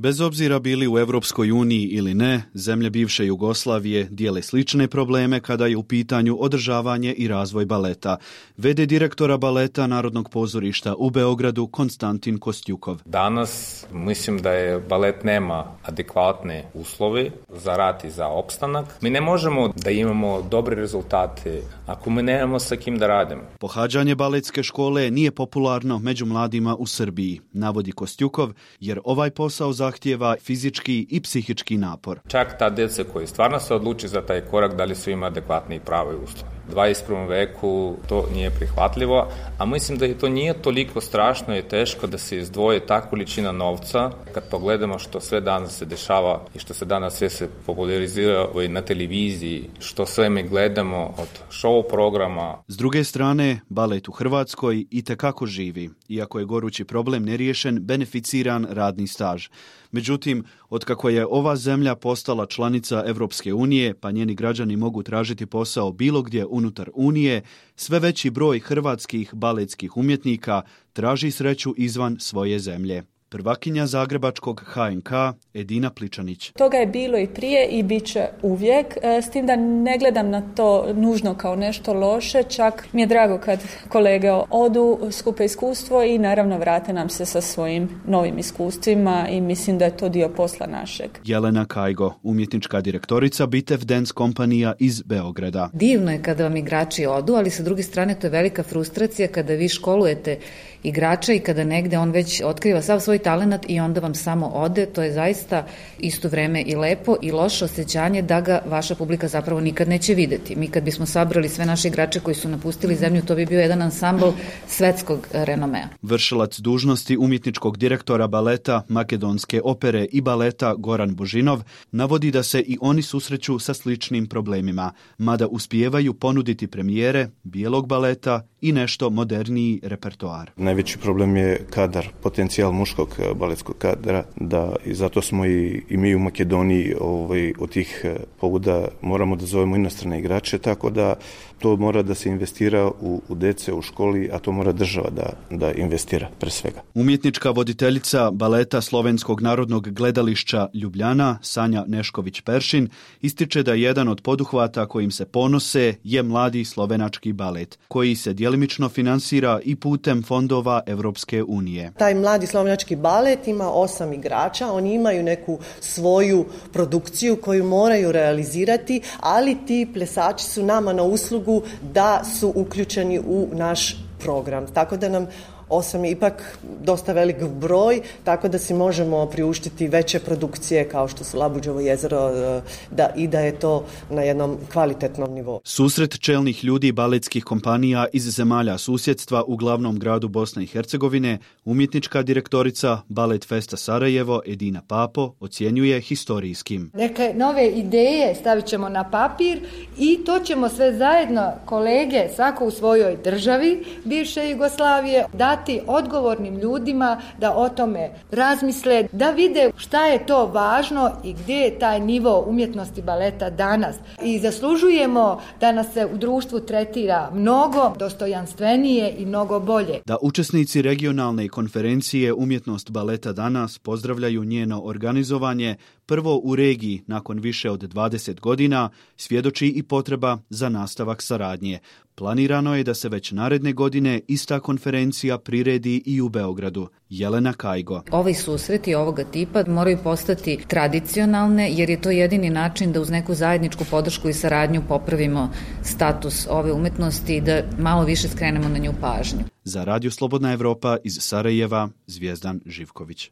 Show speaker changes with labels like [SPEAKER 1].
[SPEAKER 1] Bez obzira bili u Europskoj uniji ili ne, zemlje bivše Jugoslavije dijele slične probleme kada je u pitanju održavanje i razvoj baleta. V.d. direktora baleta Narodnog pozorišta u Beogradu Konstantin Kostjukov.
[SPEAKER 2] Danas mislim da je balet nema adekvatne uslove za rad i za opstanak. Mi ne možemo da imamo dobre rezultate ako mi nemamo sa kim da radimo.
[SPEAKER 1] Pohađanje baletske škole nije popularno među mladima u Srbiji, navodi Kostjukov, jer ovaj posao zahtijeva fizički i psihički napor.
[SPEAKER 2] Čak ta djeca koji stvarno se odluči za taj korak, da li su ima adekvatni i pravi uslovi. U 21. veku to nije prihvatljivo, a mislim da to nije toliko strašno i teško da se izdvoje ta količina novca. Kad pogledamo što sve danas se dešava i što se danas sve se popularizira na televiziji, što sve mi gledamo od show programa.
[SPEAKER 1] S druge strane, balet u Hrvatskoj itekako živi, iako je gorući problem neriješen beneficiran radni staž. Međutim, otkako je ova zemlja postala članica Europske unije, pa njeni građani mogu tražiti posao bilo gdje unutar Unije, sve veći broj hrvatskih baletskih umjetnika traži sreću izvan svoje zemlje. Prvakinja zagrebačkog HNK Edina Pličanić.
[SPEAKER 3] Toga je bilo i prije i bit će uvijek, s tim da ne gledam na to nužno kao nešto loše, čak mi je drago kad kolege odu, skupe iskustvo i naravno vrate nam se sa svojim novim iskustvima i mislim da je to dio posla našeg.
[SPEAKER 1] Jelena Kajgo, umjetnička direktorica Bitev Dance kompanija iz Beograda.
[SPEAKER 4] Divno je kada vam igrači odu, ali sa druge strane to je velika frustracija kada vi školujete igrača i kada negde on već otkriva sav svoj talenat i onda vam samo ode. To je zaista isto vreme i lepo i loše osjećanje da ga vaša publika zapravo nikad neće videti. Mi kad bismo sabrali sve naše igrače koji su napustili zemlju, to bi bio jedan ansambl svetskog renomea.
[SPEAKER 1] Vršilac dužnosti umjetničkog direktora baleta, Makedonske opere i baleta Goran Božinov navodi da se i oni susreću sa sličnim problemima, mada uspijevaju ponuditi premijere bijelog baleta i nešto moderniji repertoar.
[SPEAKER 5] Najveći problem je kadar, potencijal muškog baletskog kadra, da i zato smo i mi u Makedoniji od tih pobuda moramo da zovemo inostrane igrače, tako da to mora da se investira u dece u školi, a to mora država da investira pre svega.
[SPEAKER 1] Umjetnička voditeljica baleta Slovenskog narodnog gledališća Ljubljana, Sanja Nešković-Peršin, ističe da jedan od poduhvata kojim se ponose je mladi slovenački balet, koji se djelimično finansira i putem fondova Europske unije.
[SPEAKER 6] Taj mladi slovenački balet ima 8 igrača, oni imaju neku svoju produkciju koju moraju realizirati, ali ti plesači su nama na uslugu da su uključeni u naš program. Tako da nam 8 je ipak dosta velik broj, tako da si možemo priuštiti veće produkcije kao što su Labuđevo jezero da je to na jednom kvalitetnom nivou.
[SPEAKER 1] Susret čelnih ljudi baletskih kompanija iz zemalja susjedstva u glavnom gradu Bosne i Hercegovine, umjetnička direktorica Balet Festa Sarajevo Edina Papo ocjenjuje historijskim.
[SPEAKER 7] Neke nove ideje stavit ćemo na papir i to ćemo sve zajedno, kolege, svako u svojoj državi bivše Jugoslavije, dati odgovornim ljudima da o tome razmisle, da vide šta je to važno i gdje je taj nivo umjetnosti baleta danas. I zaslužujemo da nas se u društvu tretira mnogo dostojanstvenije i mnogo bolje.
[SPEAKER 1] Da učesnici regionalne konferencije Umjetnost baleta danas pozdravljaju njeno organizovanje, prvo u regiji nakon više od 20 godina, svjedoči i potreba za nastavak saradnje. Planirano je da se već naredne godine ista konferencija priredi i u Beogradu. Jelena Kajgo.
[SPEAKER 4] Ovaj susreti ovoga tipa moraju postati tradicionalne, jer je to jedini način da uz neku zajedničku podršku i saradnju popravimo status ove umetnosti i da malo više skrenemo na nju pažnju.
[SPEAKER 1] Za Radio Slobodna Evropa iz Sarajeva, Zvijezdan Živković.